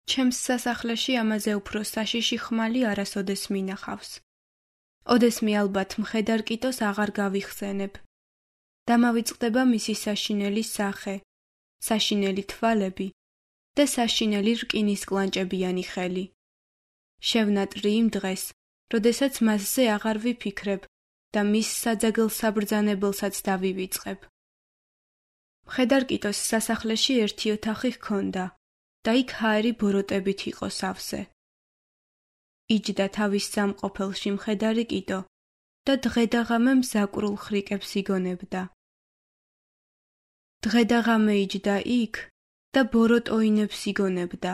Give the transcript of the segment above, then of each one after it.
ჩემს სასახლეში ამაზე უფრო საშიში ხმალი არასოდეს მინახავს. ოდესმე ალბათ მხედარ კიტოს აღარ გავიხსენებ. დამავიწყდება მისი საშინელი სახე, საშინელი თვალები და საშინელი რკინის კლანჭებიანი ხელი. შევნატრი იმ დღეს, როდესაც მასზე აღარ ვიფიქრებ და მის საძაგელ საბრძანებელსაც დავივიწყებ. მხედარ კიტოს სასახლეში ერთი ოთახი ჰქონდა და იქ ჰაერი ბოროტებით იყო სავსე. იჯდა თავის სამყოფელში მხედარი კიტო და დღე და ღამე მზაკვრულ ხრიკებს იგონებდა. დღე და ღამე იჯდა იქ და ბოროტოინებს იგონებდა.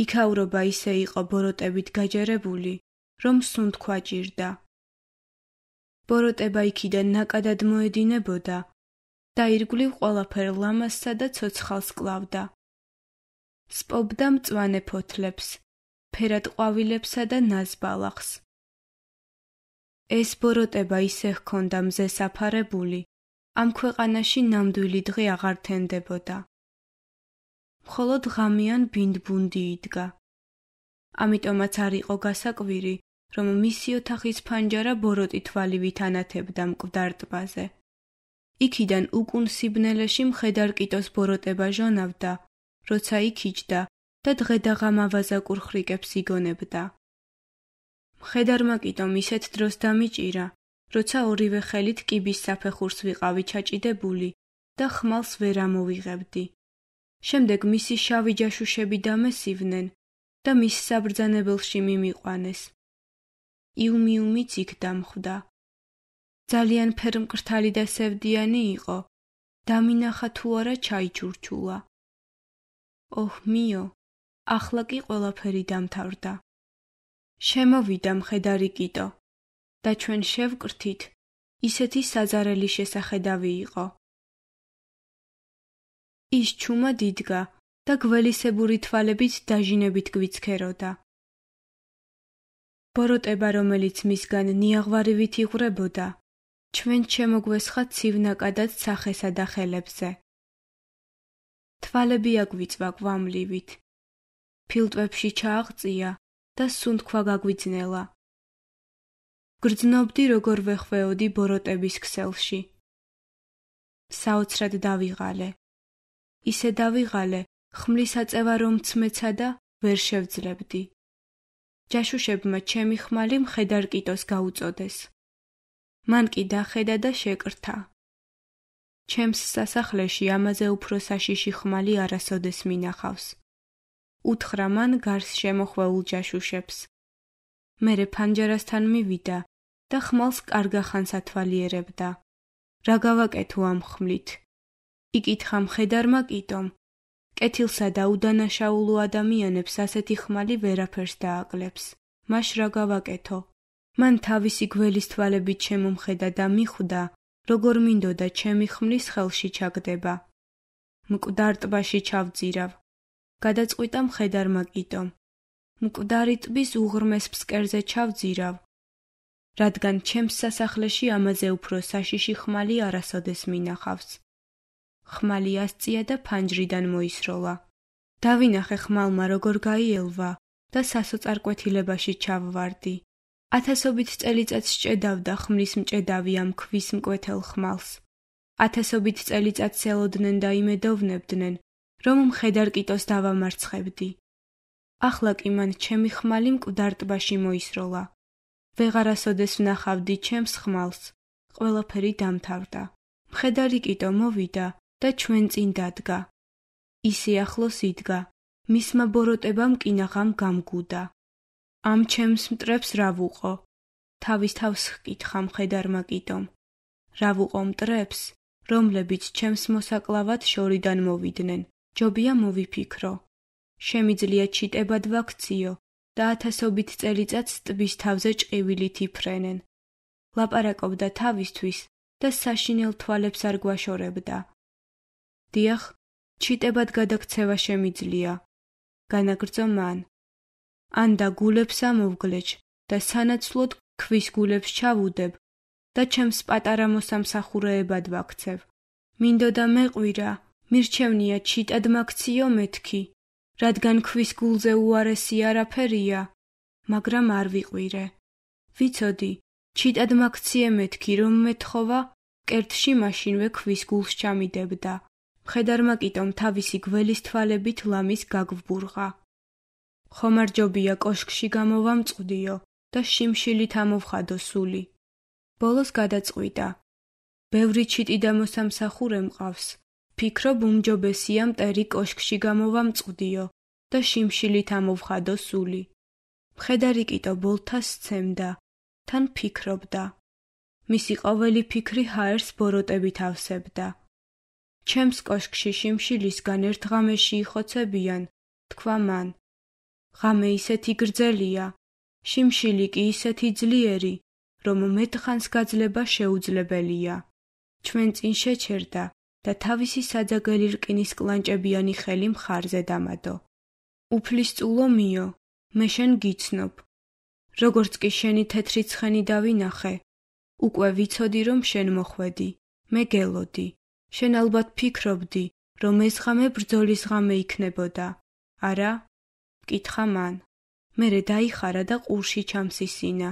იქაურობა ისე იყო ბოროტებით გაჯერებული, რომ სუნთქვა ჭირდა. ბოროტება იქიდან ნაკადად მოედინებოდა და ირგვლივ ყველაფერ ლამაზსა და ცოცხალს კლავდა. სპობდა მწვანე ფოთლებს, ფერად ყვავილებსა და ნაზბალახს. ეს ბოროტება ისე ჰქონდა მზეს აფარებული, ამ ქვეყანაში ნამდვილი დღე აღარ თენდებოდა. მხოლოდ ღამიან ბინდბუნდი იდგა. ამიტომაც არ იყო გასაკვირი, რომ მისი ოთახის ფანჯარა ბოროტი თვალივით ანათებდა მკვდარ ტბაზე. იქიდან უკუნ სიბნელეში მხედარ კიტოს ბოროტება ჟონავდა, როცა იქ იჯდა და დღე და ღამე ავაზაკურ ხრიკებს იგონებდა. მხედარმა კიტომ ისეთ დროს დამიჭირა, როცა ორივე ხელით კიბის საფეხურს ვიყავი ჩაჭიდებული და ხმალს ვერ ამოვიღებდი. შემდეგ მისი შავი ჯაშუშები დამესივნენ და მის საბრძანებელში მიმიყვანეს. იუმიუმიც იქ დამხვდა. ძალიან ფერმკრთალი და სევდიანი იყო. დამინახა თუ არა ჩაიჩურჩულა. ოჰ მიო, ახლა კი ყველაფერი დამთავრდა. შემოვიდა მხედარი კიტო და ჩვენ შევკრთით, ისეთი საძარელი შესახედავი იყო. ის ჩუმად იდგა და გველისებური თვალებით დაჟინებით გვიცქეროდა. ბოროტება, რომელიც მისგან ნიაღვარივით იღვრებოდა, ჩვენ შემოგვესხა ცივ ნაკადად სახესა და ხელებზე. თვალები აგვიწვა კვამლივით, ფილტვებში ჩააღწია და სუნთქვა გაგვიძნელა. გრძნობდი როგორ ვეხვეოდი ბოროტების ქსელში. საოცრად დავიღალე. ისე დავიღალე, ხმლის აწევა რომ ცმეცა და ვერ შევძლებდი. ჯაშუშებმა ჩემი ხმალი მხედარ კიტოს გაუწოდეს. მან კი დახედა და შეკრთა. ჩემს სასახლეში ამაზე უფრო საშიში ხმალი არასოდეს მინახავს. უთხრა მან გარს შემოხვეულ ჯაშუშებს. მერე ფანჯარასთან მივიდა და ხმალს კარგახანს ათვალიერებდა. რა გავაკეთო ამ ხმლით? იკითხა მხედარმა კიტომ. კეთილსა და უდანაშაულო ადამიანებს ასეთი ხმალი ვერაფერს დააკლებს. მაშ რა გავაკეთო? მან თავისი გველის თვალებით შემომხედა და მიხვდა, როგორ მინდოდა ჩემი ხმლის ხელში ჩაგდება. მკვდარ ტბაში ჩავძირავ. გადაწყვიტა მხედარმა კიტომ. მკვდარი ტბის უღრმეს ფსკერზე ჩავძირავ, რადგან ჩემს სასახლეში ამაზე უფრო საშიში ხმალი არასოდეს მინახავს. ხმალი ასწია და ფანჯრიდან მოისროლა. დავინახე ხმალმა როგორ გაიელვა და სასოწარკვეთილებაში ჩავვარდი. ათასობით წელიწადს სჭედავდა ხმლის მჭედავი ამ ქვის მკვეთელ ხმალს. ათასობით წელიწადს ელოდნენ და იმედოვნებდნენ, რომ მხედარ კიტოს დავამარცხებდი. ახლა კი მან ჩემი ხმალი მკვდარ ტბაში მოისროლა. ვეღარასოდეს ვნახავდი ჩემს ხმალს. ყველაფერი დამთავრდა. მხედარი კიტო მოვიდა და ჩვენ წინ დადგა. ისე ახლოს იდგა, მისმა ბოროტებამ კინაღამ გამგუდა. ამ ჩემს მტრებს რა ვუყო? თავის თავს ჰკითხა მხედარმა კიტომ. რა ვუყო მტრებს, რომლებიც ჩემს მოსაკლავად შორიდან მოვიდნენ? ჯობია მოვიფიქრო. შემიძლია ჩიტებად ვაქციო და ათასობით წელიწადს ტბის თავზე ჭყივილით იფრენენ. ლაპარაკობდა თავისთვის და საშინელ თვალებს არ გვაშორებდა. დიახ, ჩიტებად გადაქცევა შემიძლია. განაგრძო მან. ან და გულებს ამოვგლეჭ და სანაცვლოდ ქვის გულებს ჩავუდებ და ჩემს პატარა მოსამსახურეებად ვაქცევ. მინდოდა მეყვირა, მირჩევნია ჩიტად მაქციო მეთქი, რადგან ქვის გულზე უარესი არაფერია, მაგრამ არ ვიყვირე. ვიცოდი, ჩიტად მაქციე მეთქი, რომ მეთხოვა, კერტში მაშინვე ქვის გულს ჩამიდებდა. მხედარმა კიტომ თავისი გველის თვალებით ლამის გაგვბურღა. ხომარჯობია კოშკში გამოვამწყდიო და შიმშილით ამოვხადო სული. ბოლოს გადაწყვიტა. ბევრი ჩიტი და მოსამსახურე მყავს. ფიქრობ უმჯობესია მტერი კოშკში გამოვამწყდიო და შიმშილით ამოვხადო სული. მხედარი კიტო ბოლთას სცემდა, თან ფიქრობდა. მისი ყოველი ფიქრი ჰაერს ბოროტებით ავსებდა. ჩემს კოშკში შიმშილისგან ერთ ღამეში იხოცებიან, თქვა მან. ღამე ისეთი გრძელია, შიმშილი კი ისეთი ძლიერი, რომ მეტხანს გაძლება შეუძლებელია. ჩვენ წინ შეჩერდა და თავისი საძაგელი რკინის კლანჭებიანი ხელი მხარზე დამადო. უფლისწულო მიო, მე შენ გიცნობ. როგორც კი შენი თეთრი ცხენი დავინახე, უკვე ვიცოდი, რომ შენ მოხვედი, მე გელოდი. შენ ალბათ ფიქრობდი, რომ ეს ღამე ბრძოლის ღამე იქნებოდა. არა? მკითხა მან. მერე დაიხარა და ყურში ჩამსისინა.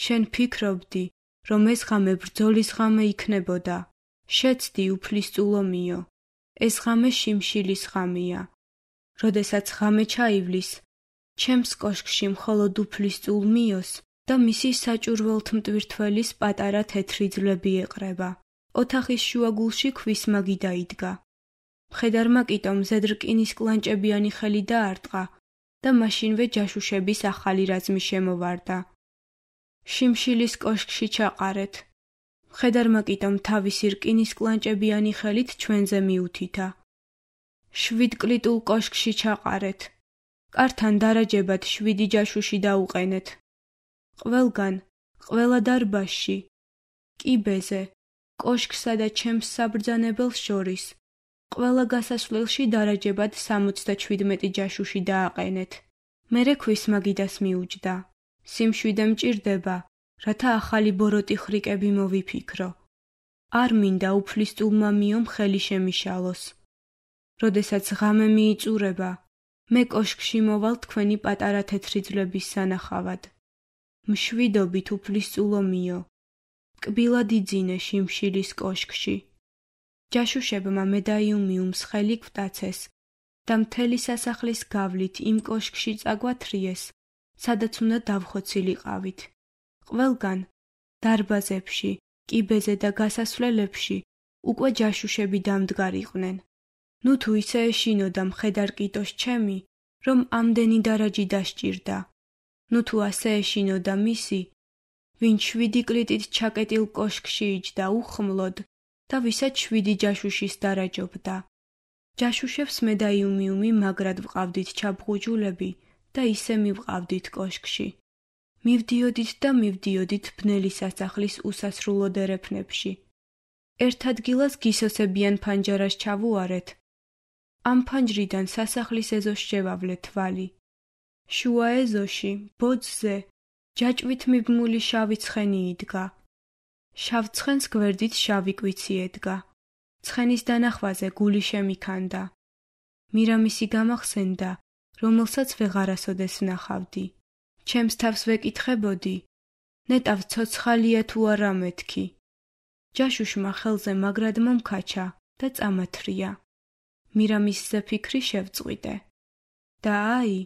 შენ ფიქრობდი, რომ ეს ღამე ბრძოლის ღამე იქნებოდა. შეცდი უფლისწულო მიო. ეს ღამე შიმშილის ღამეა. როდესაც ღამე ჩაივლის, ჩემს კოშკში მხოლოდ უფლისწულ მიოს და მისი საჭურველთ მტვირთველის პატარა თეთრი ძვლები ეყრება. ოთახის შუაგულში ქვის მაგი დაიდგა. მხედარმა კიტომ მზედ რკინის კლანჭებიანი ხელი დაარტყა და მაშინვე ჯაშუშების ახალი რაზმი შემოვარდა. შიმშილის კოშკში ჩაყარეთ. მხედარმა კიტომ თავისი რკინის კლანჭებიანი ხელით ჩვენზე მიუთითა. 7 კლიტულ კოშკში ჩაყარეთ. კართან დარაჯებად 7 ჯაშუში დაუყენეთ. ყველგან, ყველა დარბაზში, კიბეზე, კოშკსა და ჩემს საბრძანებელს შორის, ყველა გასასვლელში დარაჯებად 77 ჯაშუში დააყენეთ. მერე ქვის მაგიდას მიუჯდა. სიმშვიდე მჭირდება, რათა ახალი ბოროტი ხრიკები მოვიფიქრო. არ მინდა უფლისწულმა მიომ ხელი შემიშალოს. როდესაც ღამე მიიწურება, მე კოშკში მოვალ თქვენი პატარა თეთრი ძვლების სანახავად. მშვიდობით უფლისწულო მიო. კბილად იძინე შიმშილის კოშკში. ჯაშუშებმა მედაიუმიუმს ხელი გვტაცეს და მთელი სასახლის გავლით იმ კოშკში წაგვათრიეს, სადაც უნდა დავხოცილიყავით. ყველგან, დარბაზებში, კიბეზე და გასასვლელებში უკვე ჯაშუშები დამდგარიყვნენ. ნუ თუ ისე ეშინოდა მხედარ კიტოს ჩემი, რომ ამდენი დარაჯი დასჭირდა. ნუ თუ ასე ეშინოდა მისი, ვინ 7 კლიტით ჩაკეტილ კოშკში იჯდა უხმლოდ და ვისაც 7 ჯაშუშის დარაჯობდა. ჯაშუშებს მედაიუმიუმი მაგრად ვყავდით ჩაბღუჯულები და ისე მივყავდით კოშკში. მივდიოდით და მივდიოდით ბნელი სასახლის უსასრულო დერეფნებში. ერთ ადგილას გისოსებიან ფანჯარას ჩავუარეთ. ამ ფანჯრიდან სასახლის ეზოს შევავლეთ თვალი. შუა ეზოში, ბოძზე, ჯაჭვით მიბმული შავი ცხენი იდგა. შავ ცხენს გვერდით შავი კვიცი ედგა. ცხენის დანახვაზე გული შემიქანდა. მირამისი გამახსენდა, რომელსაც ვეღარასოდეს ვნახავდი. ჩემს თავს ვეკითხებოდი, ნეტავ ცოცხალია თუ არა მეთქი. ჯაშუშმა ხელზე მაგრად მომქაჩა და წამათრია. მირამისზე ფიქრი შევწყვიტე. და აი,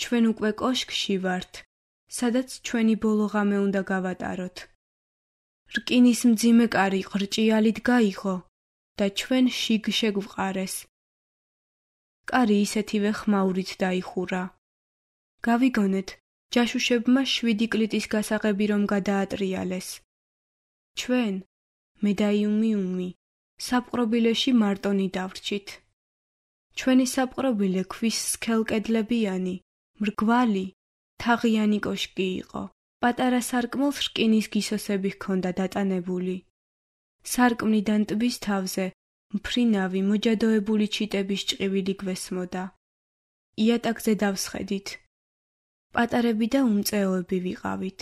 ჩვენ უკვე კოშკში ვართ, სადაც ჩვენი ბოლო ღამე უნდა გავატაროთ. რკინის მძიმე კარი ხრჭიალით გაიღო და ჩვენ შიგ შეგვყარეს. კარი ისეთივე ხმაურით დაიხურა. გავიგონეთ, ჯაშუშებმა 7 კლიტის გასაღები რომ გადაატრიალეს. ჩვენ, მედაიუმიუმი, საპყრობილეში მარტონი დავრჩით. ჩვენი საპყრობილე ქვის სქელკედლებიანი, მრგვალი, თაღიანი კოშკი იყო. პატარა სარკმელს რკინის გისოსები ჰქონდა დატანებული. სარკმლიდან ტბის თავზე მფრინავი მოჯადოებული ჩიტების ჭყივილი გვესმოდა. იატაკზე დავსხედით. პატარები და უმწეოები ვიყავით.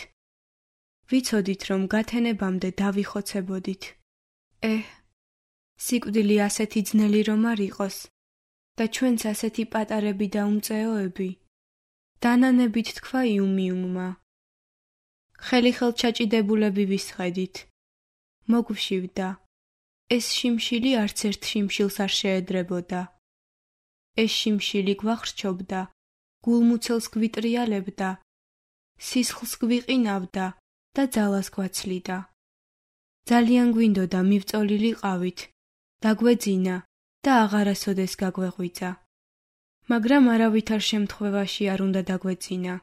ვიცოდით, რომ გათენებამდე დავიხოცებოდით. სიკვდილი ასეთი ძნელი რომ არ იყოს, და ჩვენც ასეთი პატარები და უმწეოები? დანანებით თქვა იუმიუმმა. ხელი ხელჩაჭიდებულები ვისხედით. მოგვშივდა. ეს შიმშილი არც ერთ შიმშილს არ შეედრებოდა. ეს შიმშილი გვახრჩობდა, გულმუცელს გვიტრიალებდა, სისხლს გვიყინავდა და ძალას გვაცლიდა. ძალიან გვინდოდა მივწოლილიყავით, დაგვეძინა და აღარასოდეს გაგვეღვიძა. მაგრამ არავითარ შემთხვევაში არ უნდა დაგვეძინა.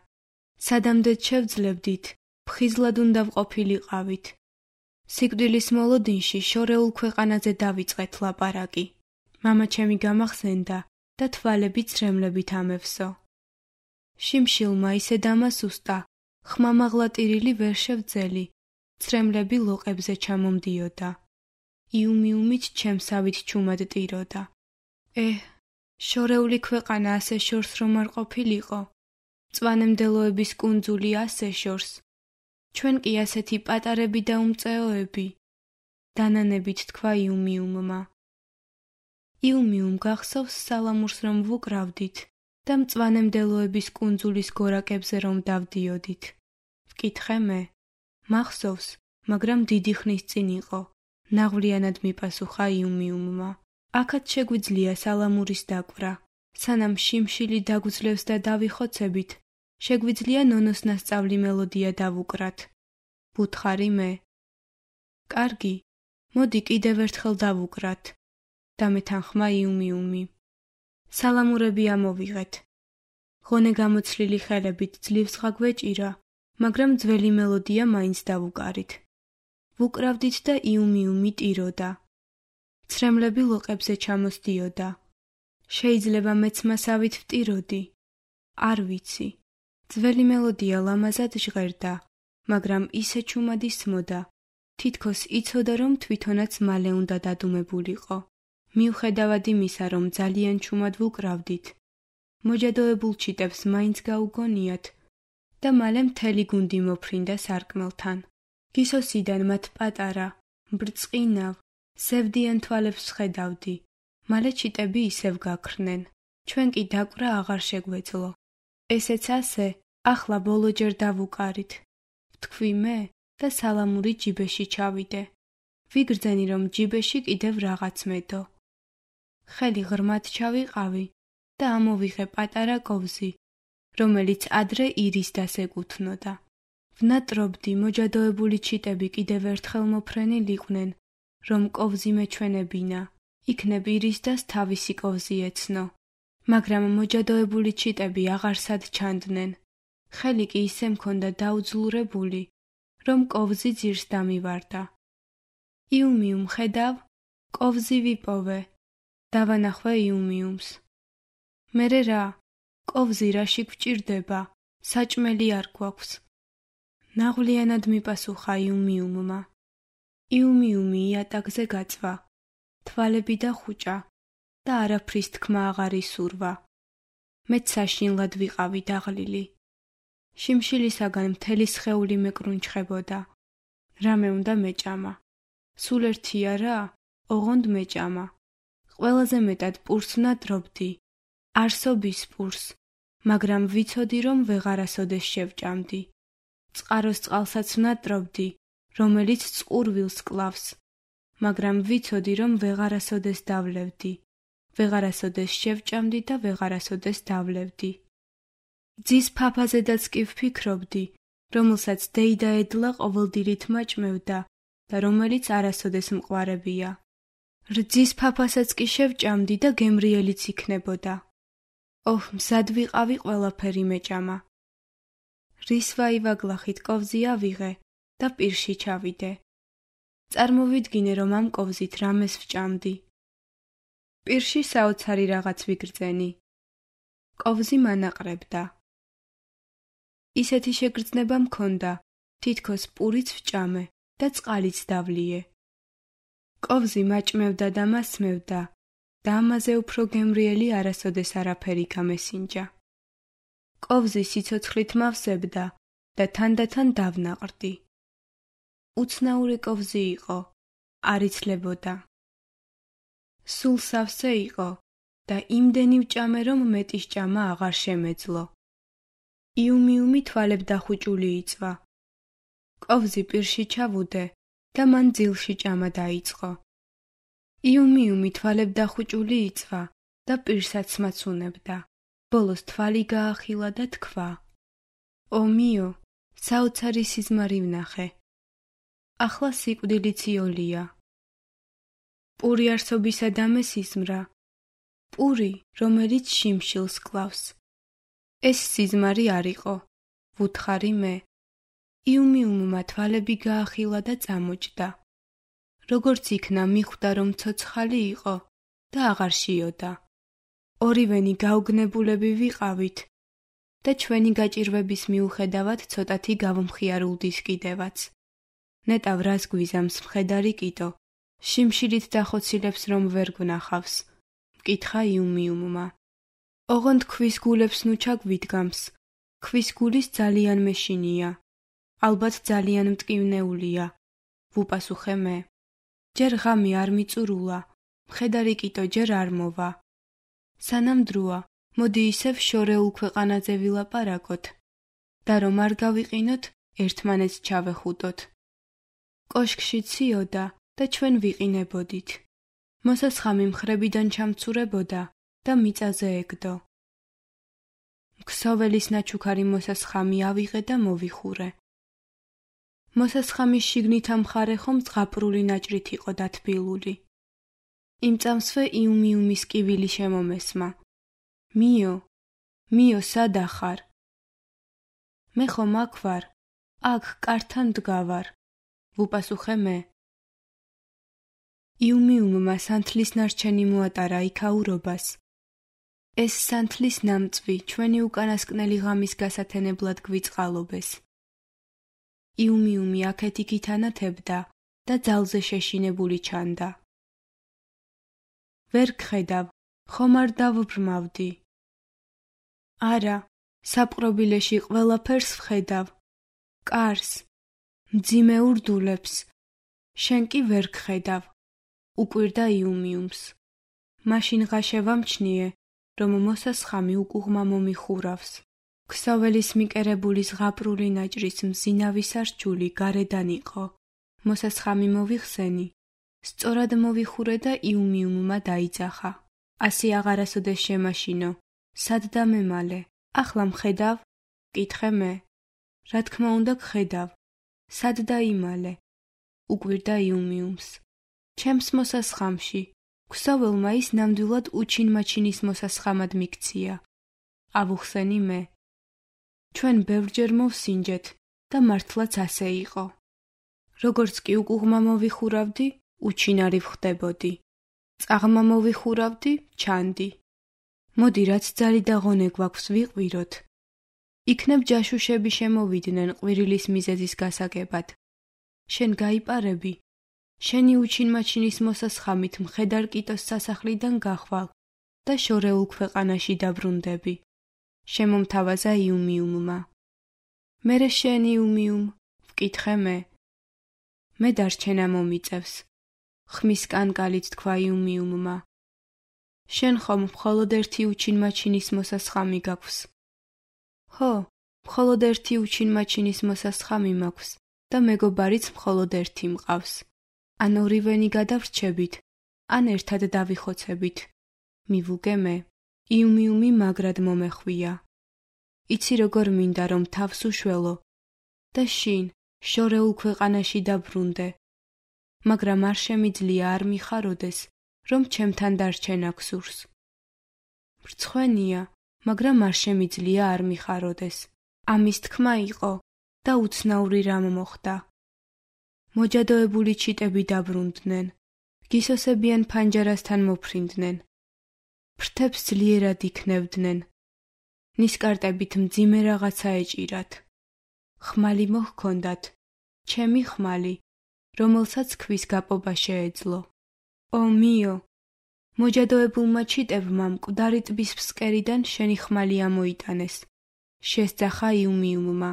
სადამდეც შევძლებდით, ფხიზლად უნდა ვყოფილიყავით. სიკვდილის მოლოდინში შორეულ ქვეყანაზე დავიწყეთ ლაპარაკი. მამა ჩემი გამახსენდა და თვალები ცრემლებით ამევსო. შიმშილმა ისე დამასუსტა, ხმამაღლა ტირილი ვერ შევძელი, ცრემლები ლოყებზე ჩამომდიოდა. იუმიუმით ჩემსავით ჩუმად ტიროდა. შორეული ქვეყანა ასე შორს რომ არ ყოფილიყო, მწვანემდელოების კუნძული ასე შორს, ჩვენ კი ასეთი პატარები და უმწეოები, დანანებით თქვა იუმიუმმა. იუმიუმ გახსოვს სალამურს რომ ვუკრავდით და მწვანემდელოების კუნძულის გორაკებზე რომ დავდიოდით. ვკითხე მე. მახსოვს, მაგრამ დიდი ხნის წინ იყო, ნაღვლიანად მიპასუხა იუმიუმმა. აქაც შეგვიძლია სალამურის დაკვრა. სანამ შიმშილი დაგვძლევს და დავიხოცებით, შეგვიძლია ნონოს ნასწავლი მელოდია დავუკრათ. ვუთხარი მე. კარგი, მოდი კიდევ ერთხელ დავუკრათ. დამეთანხმა იუმიუმი. სალამურები ამოვიღეთ. ღონე გამოცლილი ხელებით ძლივს გაგვეჭირა, მაგრამ ძველი მელოდია მაინც დავუკარით. ვუკრავდით და იუმიუმი ტიროდა. ცრემლები ლოყებზე ჩამოსდიოდა. შეიძლება მეც მასავით ვტიროდი. არ ვიცი. ძველი მელოდია ლამაზად ჟღერდა, მაგრამ ისე ჩუმად ისმოდა. თითქოს იცოდა რომ თვითონაც მალე უნდა დადუმებულიყო. მიუხედავად იმისა, რომ ძალიან ჩუმად ვუკრავდით, მოჯადოებულ ჩიტებს მაინც გაუგონიათ და მალე მთელი გუნდი მოფრინდა სარკმელთან. გისოსიდან მათ პატარა, ბრწყინავ, სევდიან თვალებს ვხედავდი. მალე ჩიტები ისევ გაქრნენ. ჩვენ კი დაკვრა აღარ შეგვეძლო. ესეც ასე, ახლა ბოლოჯერ დავუკარით. ვთქვი მე და სალამური ჯიბეში ჩავიდე. ვიგრძენი რომ ჯიბეში კიდევ რაღაც მედო. ხელი ღრმად ჩავიყავი და ამოვიღე პატარა კოვზი, რომელიც ადრე ირისდას ეკუთვნოდა. ვნატრობდი მოჯადოებული ჩიტები კიდევ ერთხელ მოფრენილიყვნენ, რომ კოვზი მეჩვენებინა, იქნებ ირისდას თავისი კოვზი ეცნო. მაგრამ მოჯადოებული ჩიტები აღარ სად ჩანდნენ. ხელი კი ისე მქონდა დაუძლურებული, რომ კოვზი ძირს დამივარდა. იუმიუმ ხედავ, კოვზი ვიპოვე. დავანახვე იუმიუმს. მერე რა, კოვზი რაში გვჭირდება, საჭმელი არ გვაქვს. ნაღვლიანად მიპასუხა იუმიუმმა. იუმიუმი იატაკზე გაწვა, თვალები დახუჭა და არაფრის თქმა აღარ ისურვა. მეც საშინლად ვიყავი დაღლილი. შიმშილისაგან მთელი სხეული მეკრუნჩხებოდა. რამე უნდა მეჭამა. სულ ერთია რა, ოღონდ მეჭამა. ყველაზე მეტად პურს ვნატრობდი, არსობის პურს, მაგრამ ვიცოდი რომ ვეღარასოდეს შევჭამდი. წყაროს წყალსაც ვნატრობდი, რომელიც წყურვილს კლავს, მაგრამ ვიცოდი რომ ვეღარასოდეს დავლევდი. ვეღარასოდეს შევჭამდი და ვეღარასოდეს დავლევდი. ძის ფაფაზედაც კი ვფიქრობდი, რომელსაც დეიდა ედლა ყოველდილით მაჭმევდა და რომელიც არასოდეს მყوارებია. რძის ფაფასაც კი შევჭამდი და გემრიელიც იქნებოდა. მზად ვიყავი ყველაფერი მეჭამა. რის ვაივაგლახით კოვზი ავიღე და პირში ჩავიდე. წარმოვიდგინე რომ ამ კოვზით რამეს ვჭამდი. პირში საოცარი რაღაც ვიგრძენი. კოვზი მანაყრებდა. ისეთი შეგრძნება მქონდა, თითქოს პურიც ვჭამე და წყალიც დავლიე. კოვზი მაჭმევდა და მასმევდა და ამაზე უფრო გემრიელი არასოდეს არაფერი გამესინჯა. კოვზი სიცოცხლით მავსებდა და თანდათან დავნაყრდი. უცნაური კოვზი იყო, არ იცლებოდა. სულ სავსე იყო და იმდენი ვჭამე, რომ მეტის ჭამა აღარ შემეძლო. იუმიუმი თვალებ დახუჭული იწვა. კოვზი პირში ჩავუდე და მან ძილში ჭამა დაიწყო. იუმიუმი თვალებ დახუჭული იწვა და პირსაც მაცუნებდა. ბოლოს თვალი გაახილა და თქვა: ო მიო, საოცარი სიზმარი ვნახე. ახლა სიკვდილიც იოლია. პური არსობისა დამესიზმრა, პური, რომელიც შიმშილს კლავს. ეს სიზმარი არ იყო, ვუთხარი მე. იუმიუმმა თვალები გაახილა და წამოჭდა. როგორც იქნა, მიხვდა, რომ ცოცხალი იყო და აღარ შიოდა. ორივენი გაუგნებულები ვიყავით და ჩვენი გაჭირვების მიუხედავად ცოტათი გავმხიარულდის კიდევაც. ნეტავ რას გვიზამს მხედარი კიდო, შიმშილით დახოცილებს რომ ვერ გვნახავს, მკითხა იუმიუმმა. ოღონდ ქვის გულებს ნუ ჩაგვიდგამს, ქვის გულის ძალიან მეშინია, ალბათ ძალიან მტკივნეულია, ვუპასუხე მე. ჯერ ღამე არ მიწურულა, მხედარი კიდო ჯერ არ მოვა. სანამ დროა, მოდი ისევ შორეულ ქვეყანაზე ვილაპარაკოთ და რომ არ გავიყინოთ, ერთმანეთს ჩავეხუტოთ. კოშკში ციოდა და ჩვენ ვიყინებოდით. მოსასხამი მხრებიდან ჩამცურებოდა და მიწაზე ეგდო. ქსოველის ნაჩუქარი მოსასხამი ავიღე და მოვიხურე. მოსასხამის შიგნით ამხარე ხომ ზღაპრული ნაჭრით იყო დათბილული. იმ წამსვე იუმიუმის კივილი შემომესმა. მიო, მიო, სადა ხარ? მე ხომ აქ ვარ, აქ კართან დგავარ, ვუპასუხე მე. იუმიუმმა სანთლის ნარჩენი მოატარა იქაურობას. ეს სანთლის ნამწვი ჩვენი უკანასკნელი ღამის გასათენებლად გვიწყალობეს. იუმიუმი აქეთ-იქით ანათებდა და ძალზე შეშინებული ჩანდა. ვერ გხედავ, ხომ არ დავბრმავდი? არა, საპყრობილეში ყველაფერს ვხედავ. კარს, მძიმე ურდულებს, შენ კი ვერ გხედავ, უკვირდა იუმიუმს. მაშინ ღაშე ვამჩნიე, რომ მოსასხამი უკუღმა მომიხურავს. ქსოველის მიკერებული ზღაპრული ნაჭრის მზინავი სარჩული გარედან იყო. მოსასხამი მოვიხსენი, სწორად მოვიხურე და იუმიუმმა დაიძახა. ასი აღარასოდეს შემაშინო, სად დამემალე, ახლა მხედავ? მკითხე მე. რა თქმა უნდა გხედავ, სად დაიმალე? უკვირდა იუმიუმს. ჩემს მოსასხამში, ქსოველმა ის ნამდვილად უჩინმაჩინის მოსასხამად მიქცია. ავუხსენი მე. ჩვენ ბევრჯერ მოვსინჯეთ და მართლაც ასე იყო. როგორც კი უკუღმა მოვიხურავდი, უჩინარი ვხდებოდი. წაღმა მოვიხურავდი, ჩანდი. მოდი, რაც ძალი და ღონე გვაქვს ვიყვიროთ. იქნებ ჯაშუშები შემოვიდნენ ყვირილის მიზეზის გასაგებად. შენ გაიპარები, შენი უჩინმაჩინის მოსასხამით მხედარ კიტოს სასახლიდან გახვალ და შორეულ ქვეყანაში დაბრუნდები. შემომთავაზა იუმიუმმა. მერე შენ იუმიუმ, ვკითხე მე. მე დარჩენა მომიწევს, ხმის კანკალით თქვა იუმიუმმა. შენ ხომ მხოლოდ ერთი უჩინმაჩინის მოსასხამი გაქვს? ხო, მხოლოდ ერთი უჩინმაჩინის მოსასხამი მაქვს და მეგობარიც მხოლოდ ერთი მყავს. ან ორივენი გადავრჩებით, ან ერთად დავიხოცებით. მივუგე მე. იუმიუმი მაგრად მომეხვია. იცი როგორ მინდა რომ თავს უშველო და შინ შორეულ ქვეყანაში დაბრუნდე. მაგრამ არ შემიძლია არ მიხაროდეს, რომ ჩემთან დარჩენა გსურს. მრცხვენია, მაგრამ არ შემიძლია არ მიხაროდეს. ამის თქმა იყო და უცნაური რამ მოხდა. მოჯადოებული ჩიტები დაბრუნდნენ, გისოსებიან ფანჯარასთან მოფრინდნენ. ფრთებს ძლიერად იქნევდნენ. ნისკარტებით მძიმე რაღაცა ეჭირათ. ხმალი მოჰქონდათ, ჩემი ხმალი, რომელსაც ქვის გაპობა შეეძლო. ო მიო, მოჯადოებულმა ჩიტებმა მკვდარი ტბის ფსკერიდან შენი ხმალი ამოიტანეს. შესძახა იუმიუმმა.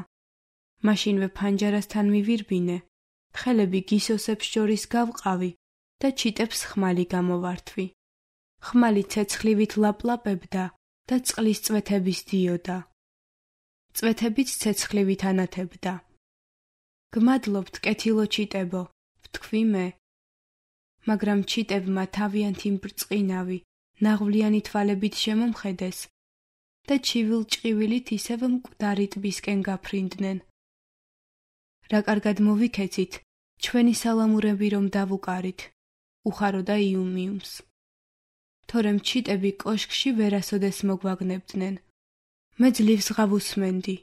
მაშინვე ფანჯარასთან მივირბინე, ხელები გისოსებს შორის გავყავი და ჩიტებს ხმალი გამოვართვი. ხმალი ცეცხლივით ლაპლაპებდა და წყლის წვეთების დიოდა. წვეთებიც ცეცხლივით ანათებდა. გმადლობთ, კეთილო ჩიტებო, ვთქვი მე. მაგრამ ჩიტებმა თავიანთი მბრწყინავი, ნაღვლიანი თვალებით შემომხედეს და ჩივილ-ჭყივილით ისევ მკვდარი ტბისკენ გაფრინდნენ. რა კარგად მოვიქეცით, ჩვენი სალამურები რომ დავუკარით, უხაროდა იუმიუმს. თორემ ჩიტები კოშკში ვერასოდეს მოგვაგნებდნენ. მე ძლივს ღავუსმენდი,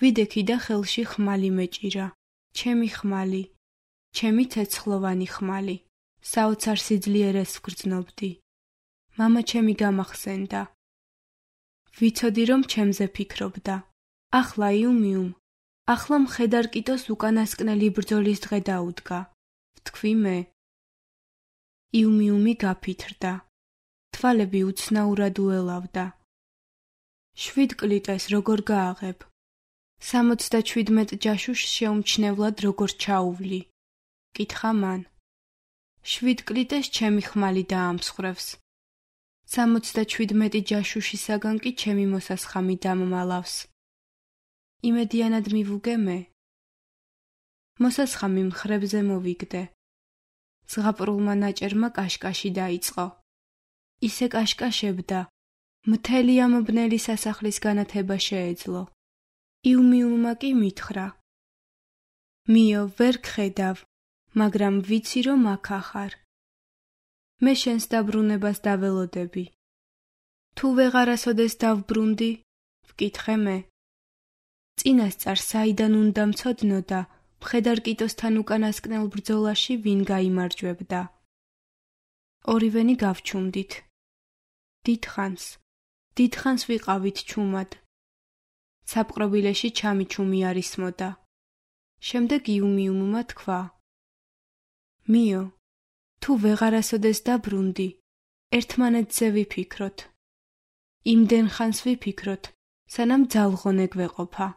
ვიდექი და ხელში ხმალი მეჭირა, ჩემი ხმალი, ჩემი ცეცხლოვანი ხმალი, საოცარ სიძლიერეს ვგრძნობდი. მამა ჩემი გამახსენდა. ვიცოდი რომ ჩემზე ფიქრობდა. ახლა იუმიუმ, ახლა მხედარ კიტოს უკანასკნელი ბრძოლის დღე დაუდგა, ვთქვი მე. იუმიუმი გაფითრდა. თვალები უცნაურად უელავდა. 7 კლიტეს როგორ გააღებ? 77 ჯაშუშს შეუმჩნევლად როგორ ჩაუვლი? კითხა მან. 7 კლიტეს ჩემი ხმალი დაამსხვრევს. 77 ჯაშუშისაგან კი ჩემი მოსასხამი დამმალავს. იმედიანად მივუგე მე. მოსასხამი მხრებზე მოვიგდე. ზღაპრულმა ნაჭერმა კაშკაში დაიწყო. ისე კაშკაშებდა, მთელი ამ ბნელი სასახლის განათება შეეძლო. იუმიუმმა კი მითხრა. მიო, ვერ გხედავ, მაგრამ ვიცი რომ აქ ახარ. მე შენს დაბრუნებას დაველოდები. თუ ვეღარასოდეს დავბრუნდი, ვკითხე მე. წინასწარ საიდან უნდა მცოდნო და მხედარ კიტოსთან უკანასკნელ ბრძოლაში ვინ გაიმარჯვებდა. ორივენი გავჩუმდით. დიდხანს ვიყავით ჩუმად. საპყრობილეში ჩამიჩუმი არისმოდა. შემდეგ იუმიუმმა თქვა. მიო, თუ ვეღარასოდეს დაბრუნდი, ერთმანეთზე ვიფიქროთ. იმდენ ხანს ვიფიქროთ, სანამ ძალღონე გვეყოფა.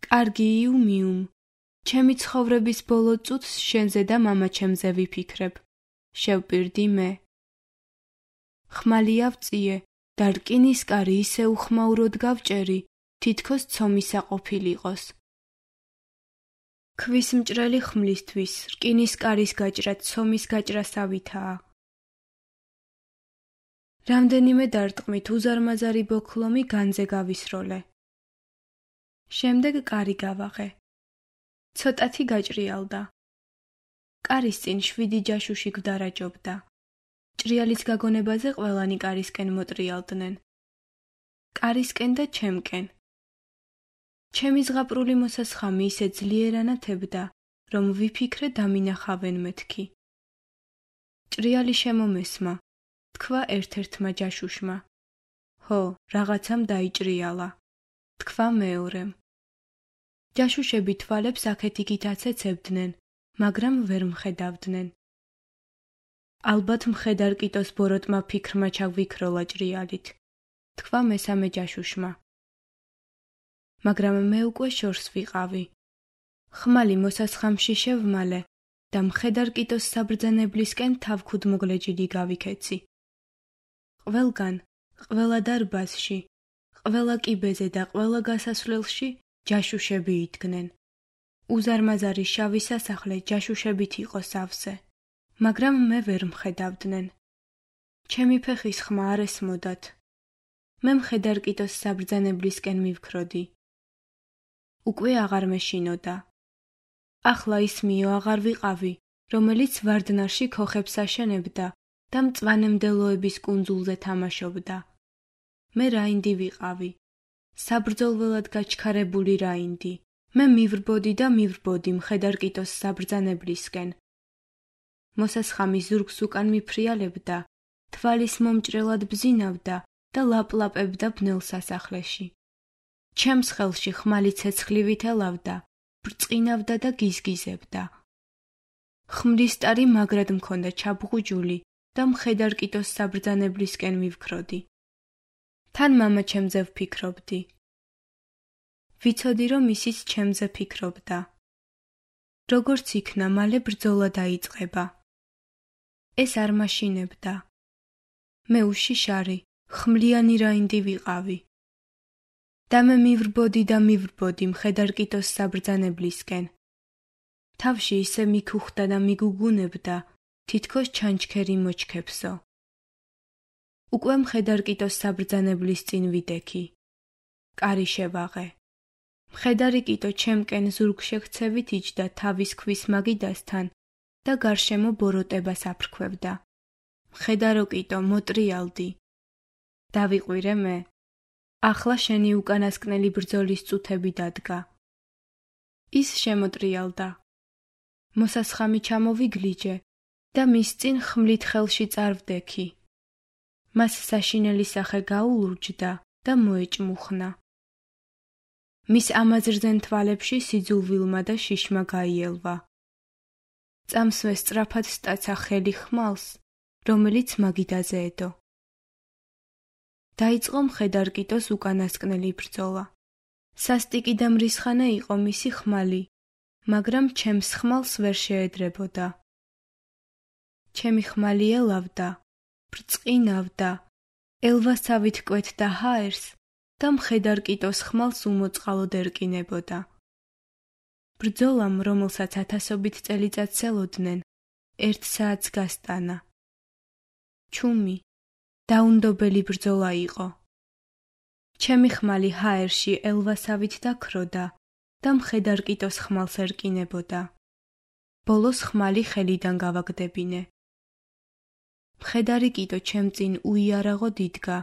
კარგი იუმიუმ, ჩემი ცხოვრების ბოლო წუთს შენზე და მამაჩემზე ვიფიქრებ, შევპირდი მე. ხმალი ავწიე და რკინის კარი ისე უხმაუროდ გავჭერი, თითქოს ცომისა ყოფილიყოს. ქვის მჭრელი ხმლისთვის რკინის კარის გაჭრა ცომის გაჭრასავითაა. რამდენიმე დარტყმით უზარმაზარი ბოქლომი განძე გავისროლე. შემდეგ კარი გავაღე. ცოტათი გაჭრიალდა. კარის წინ 7 ჯაშუში გვდარაჯობდა. ჭრიალის გაგონებაზე ყველანი კარისკენ მოტრიალდნენ. კარისკენ და ჩემკენ. ჩემი ზღაპრული მოსასხამი ისე ძლიერ ანათებდა, რომ ვიფიქრე დამინახავენ მეთქი. ჭრიალი შემომესმა, თქვა ერთ-ერთმა ჯაშუშმა. ჰო, რაღაცამ დაიჭრიალა, თქვა მეორემ. ჯაშუშები თვალებს აქეთ-იქით აცეცებდნენ, მაგრამ ვერ მხედავდნენ. ალბათ მხედარ კიტოს ბოროტმა ფიქრმა ჩაგვიქროლა ჭრიალით, თქვა მესამე ჯაშუშმა. მაგრამ მე უკვე შორს ვიყავი. ხმალი მოსასხამში შევმალე და მხედარ კიტოს საბრძანებლისკენ თავქუდმოგლეჯილი გავიქეცი. ყველგან, ყველა დარბაზში, ყველა კიბეზე და ყველა გასასვლელში ჯაშუშები იდგნენ. უზარმაზარი შავი სასახლე ჯაშუშებით იყო სავსე, მაგრამ მე ვერ მხედავდნენ. ჩემი ფეხის ხმა არ ესმოდათ. მე მხედარ კიტოს საბრძანებლისკენ მივქროდი. უკვე აღარ მეშინოდა. ახლა ის მიო აღარ ვიყავი, რომელიც ვარდნარში ქოხებს აშენებდა და მწვანემდელოების კუნძულზე თამაშობდა. მე რაინდი ვიყავი, საბრძოლველად გაჩქარებული რაინდი. მე მივრბოდი და მივრბოდი მხედარ კიტოს საბრძანებლისკენ. მოსასხამი ზურგს უკან მიფრიალებდა, თვალის მომჭრელად ბზინავდა და ლაპლაპებდა ბნელ სასახლეში. ჩემს ხელში ხმალი ცეცხლივით ელავდა, ბრწყინავდა და გიზგიზებდა. ხმლის ტარი მაგრად მქონდა ჩაბღუჯული და მხედარ კიტოს საბრძანებლისკენ მივქროდი. თან მამაჩემზე ვფიქრობდი. ვიცოდი რომ ისიც ჩემზე ფიქრობდა. როგორც იქნა, მალე ბრძოლა დაიწყება. ეს არ მაშინებდა, მე უშიშარი, ხმლიანი რაინდი ვიყავი. და მე მივრბოდი მხედარკიტოს საბრძანებლისკენ. თავში ისე მიქუხდა და მიგუგუნებდა, თითქოს ჩანჩქერი მოჩქებსო. უკვე მხედარკიტოს საბრძანებლის წინ ვიდექი. კარი შევაღე. მხედარი კიტო ჩემკენ ზურგშექცევით იჯდა თავის ქვის მაგიდასთან და გარშემო ბოროტებას აფრქვევდა. მხედარო კიტო, მოტრიალდი. დავიყვირე მე. ახლა შენი უკანასკნელი ბრძოლის წუთები დადგა. ის შემოტრიალდა. მოსასხამი ჩამოვიგლიჯე და მის წინ ხმლით ხელში წარვდექი. მას საშინელი სახე გაულურჯდა და მოეჭმუხნა. მის ამაზრზენ თვალებში სიძულვილმა და შიშმა გაიელვა. წამსვე სწრაფად სტაცა ხელი ხმალს, რომელიც მაგიდაზე ედო. დაიწყო მხედარკიტოს უკანასკნელი ბრძოლა. სასტიკი და მრისხანე იყო მისი ხმალი, მაგრამ ჩემს ხმალს ვერ შეედრებოდა. ჩემი ხმალი ელავდა, ბრწყინავდა, ელვასავით კვეთდა ჰაერს და მხედარკიტოს ხმალს უმოწყალოდ ერკინებოდა. ბრძოლამ, რომელსაც ათასობით წელიწადს ელოდნენ, 1 საათს გასტანა. ჩუმი, დაუნდობელი ბრძოლა იყო. ჩემი ხმალი ჰაერში ელვასავით დაქროდა და მხედარკიტოს ხმალს ერკინებოდა. ბოლოს ხმალი ხელიდან გავაგდებინე. მხედარი კიტო ჩემ წინ უიარაღოდ იდგა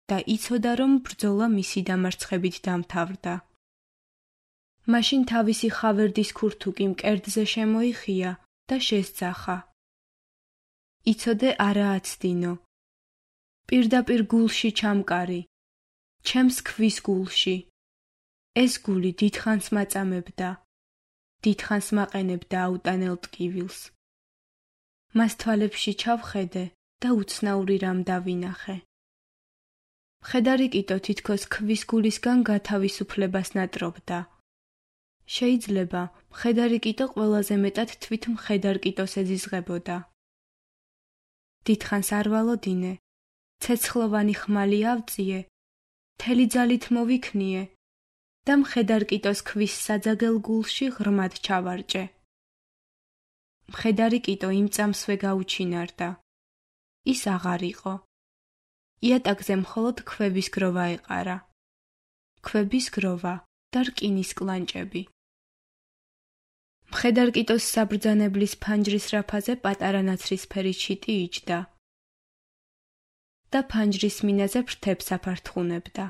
და იცოდა, რომ ბრძოლა მისი დამარცხებით დამთავრდა. მაშინ თავისი ხავერდის ქურთუკი მკერდზე შემოიხია და შესძახა. იცოდე არა აცდინო. პირდაპირ გულში ჩამკარი. ჩემს ქვის გულში. ეს გული დიდხანს მაწამებდა. დიდხანს მაყენებდა აუტანელ ტკივილს. მას თვალებში ჩავხედე და უცნაური რამ დავინახე. მხედარი კიტო თითქოს ქვის გულისგან გათავისუფლებას ნატრობდა. შეიძლება მხედარი კიტო ყველაზე მეტად თვით მხედარ კიტოს ეზიზღებოდა. დიდხანს არ ვალოდინე, ცეცხლოვანი ხმალი ავწიე, მთელი ძალით მოვიქნიე და მხედარ კიტოს ქვის საძაგელ გულში ღრმად ჩავარჭე. მხედარი კიტო იმ წამსვე გაუჩინარდა. ის აღარ იყო. იატაკზე მხოლოდ ქვების გროვა ეყარა. ქვების გროვა და რკინის კლანჭები. მხედარ კიტოს საბრძანებლის ფანჯრის რაფაზე პატარა ნაცრისფერი ჩიტი იჯდა და ფანჯრის მინაზე ფრთებს აფართხუნებდა.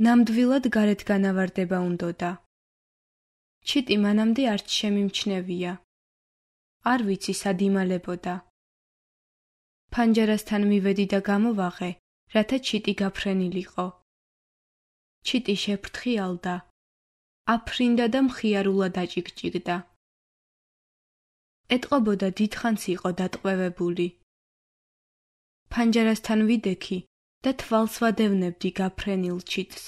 ნამდვილად გარეთ განავარდება უნდოდა. ჩიტი მანამდე არც შემიმჩნევია. არ ვიცი სად იმალებოდა. ფანჯარასთან მივედი და გამოვაღე, რათა ჩიტი გაფრენილიყო. ჩიტი შეფრთხიალდა, აფრინდა და მხიარულად აჭიკჭიკდა. ეტყობოდა დიდხანს იყო დატყვევებული. ფანჯარასთან ვიდექი და თვალს ვადევნებდი გაფრენილ ჩიტს.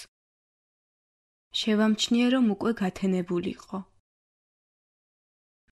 შევამჩნიე, რომ უკვე გათენებულიყო.